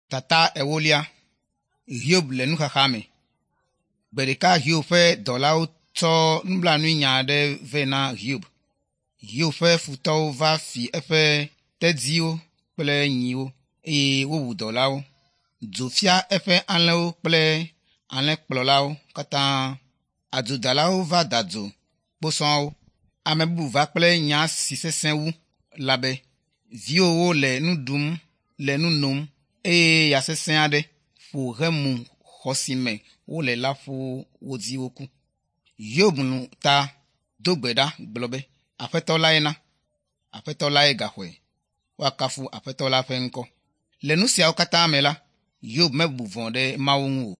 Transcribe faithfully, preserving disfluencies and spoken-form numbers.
Tata ewolia. Hiob le nuxaxa me. Gbe ɖeka Hiob ƒe dɔlawo tsɔ nublanuinya aɖe vɛ na Hiob. Hiob ƒe futɔwo va fi eƒe tedziwo kple nyiwo eye wowu dɔlawo. Dzo fia eƒe alẽwo kple alẽkplɔlawo katã. Adzodalawo va da dzo kposɔawo. Ame bubu va kple nya si sesẽ wu la be, “Viwòwo le nu ɖum le nu nom eye ya sesẽ aɖe ƒo hemu xɔ si me wole la ƒu wo dzi woku.” Hiob lũ ta do gbe ɖa gblɔ be, “Aƒetɔ lae na, Aƒetɔ lae gaxɔe. Woakafu Aƒetɔ la ƒe ŋkɔ.” Le nu siawo katã me la, Hiob mebu vɔ̃ ɖe Mawu ŋu o.